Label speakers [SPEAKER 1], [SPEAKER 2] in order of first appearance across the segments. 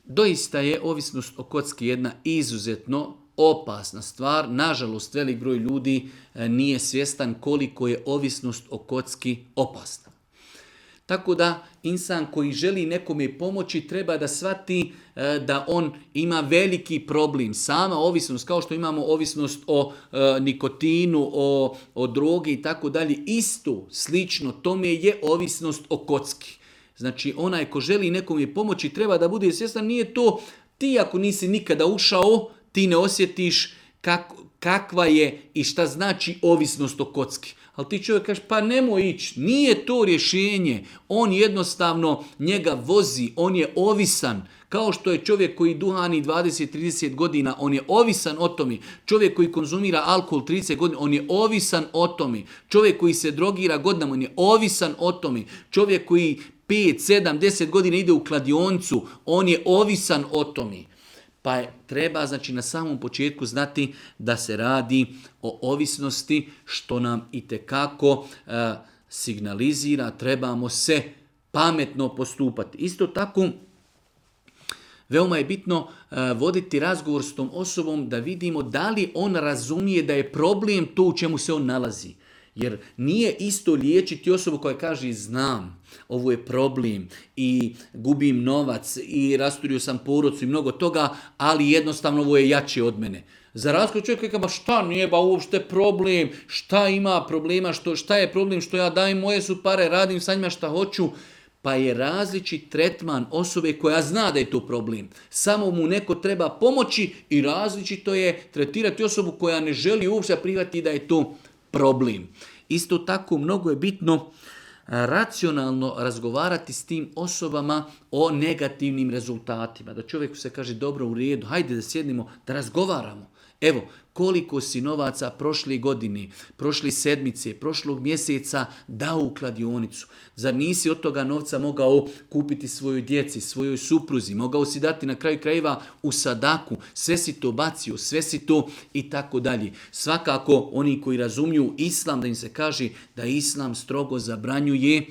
[SPEAKER 1] Doista je ovisnost o kocki jedna izuzetno opasna stvar. Nažalost, velik broj ljudi nije svjestan koliko je ovisnost o kocki opasna. Tako da insan koji želi nekome pomoći treba da shvati da on ima veliki problem. Sama ovisnost, kao što imamo ovisnost o nikotinu, o drogi i tako dalje, isto, slično, tome je ovisnost o kocki. Znači onaj ko želi nekome pomoći treba da bude svjestan, nije to ti ako nisi nikada ušao, ti ne osjetiš kakva je i šta znači ovisnost o kocki. Ali ti čovjek kaže, pa nemoj ići, nije to rješenje. On jednostavno njega vozi, on je ovisan. Kao što je čovjek koji duhani 20-30 godina, on je ovisan o tome. Čovjek koji konzumira alkohol 30 godina, on je ovisan o tome. Čovjek koji se drogira godinama, on je ovisan o tome. Čovjek koji 5, 7, 10 godina ide u kladioncu, on je ovisan o tome. Pa treba znači na samom početku znati da se radi o ovisnosti, što nam itekako signalizira, trebamo se pametno postupati. Isto tako, veoma je bitno voditi razgovor s tom osobom da vidimo da li on razumije da je problem to u čemu se on nalazi. Jer nije isto liječiti osobu koja kaže znam, ovo je problem i gubim novac i rasturio sam porodcu i mnogo toga, ali jednostavno ovo je jače od mene. Za razgovor čovjek kaže, ba šta nije ba uopšte problem, šta ima problema, šta je problem što ja dajem, moje su pare, radim sa njima šta hoću. Pa je različit tretman osobe koja zna da je to problem. Samo mu neko treba pomoći i različito je tretirati osobu koja ne želi uopšte prihvatiti da je to problem. Isto tako mnogo je bitno racionalno razgovarati s tim osobama o negativnim rezultatima. Da čovjeku se kaže dobro, u redu, hajde da sjednemo, da razgovaramo. Evo, koliko si novaca prošle godine, prošle sedmice, prošlog mjeseca dao u kladionicu. Zar nisi od toga novca mogao kupiti svojoj djeci, svojoj supruzi, mogao si dati na kraju krajeva u sadaku, sve si to bacio, sve si to i tako dalje. Svakako oni koji razumiju islam, da im se kaže da islam strogo zabranjuje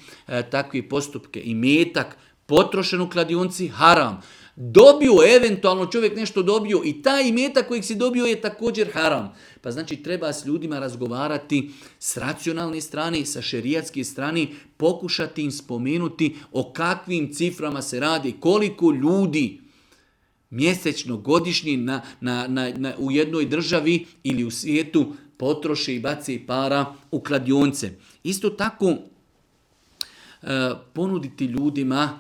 [SPEAKER 1] takve postupke. I metak potrošen u kladionci haram. Dobio, eventualno čovjek nešto dobio i taj imetak kojeg si dobio je također haram. Pa znači treba s ljudima razgovarati s racionalne strane, sa šerijatske strane, pokušati im spomenuti o kakvim ciframa se radi, koliko ljudi mjesečno, godišnje u jednoj državi ili u svijetu potroše i bace para u kladionce. Isto tako ponuditi ljudima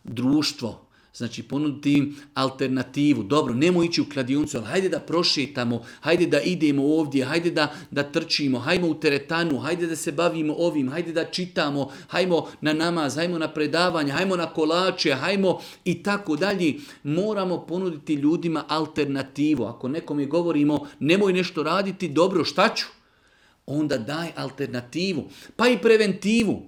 [SPEAKER 1] društvo. Znači ponuditi im alternativu. Dobro, nemoj ići u kladioncu, ali hajde da prošetamo, hajde da idemo ovdje, hajde da trčimo, hajmo u teretanu, hajde da se bavimo ovim, hajde da čitamo, hajmo na namaz, hajmo na predavanje, hajmo na kolače, hajmo i tako dalje. Moramo ponuditi ljudima alternativu. Ako nekome govorimo nemoj nešto raditi, dobro, šta ću? Onda daj alternativu, pa i preventivu.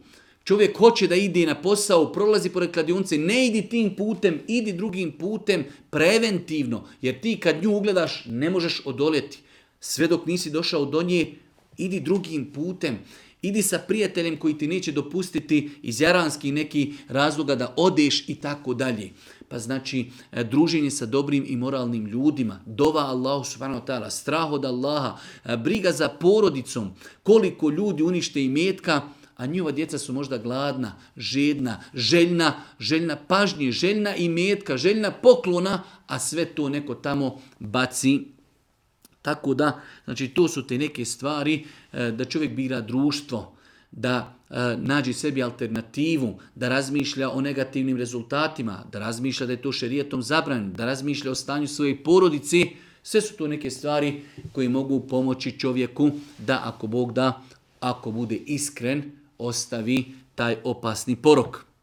[SPEAKER 1] Čovjek hoće da ide na posao, prolazi pored kladionce, ne idi tim putem, idi drugim putem, preventivno. Jer ti kad nju ugledaš ne možeš odoljeti. Sve dok nisi došao do nje, idi drugim putem. Idi sa prijateljem koji ti neće dopustiti iz jaranskih nekih razloga da odeš i tako dalje. Pa znači druženje sa dobrim i moralnim ljudima, dova Allahu subhanahu wa ta'ala, strah od Allaha, briga za porodicom, koliko ljudi unište imetka, a njihova djeca su možda gladna, žedna, željna pažnje, željna imetka, željna poklona, a sve to neko tamo baci. Tako da, znači to su te neke stvari da čovjek bira društvo, da nađe sebi alternativu, da razmišlja o negativnim rezultatima, da razmišlja da je to šerijatom zabranjeno, da razmišlja o stanju svoje porodice. Sve su to neke stvari koje mogu pomoći čovjeku da, ako Bog da, ako bude iskren, ostavi taj opasni porok.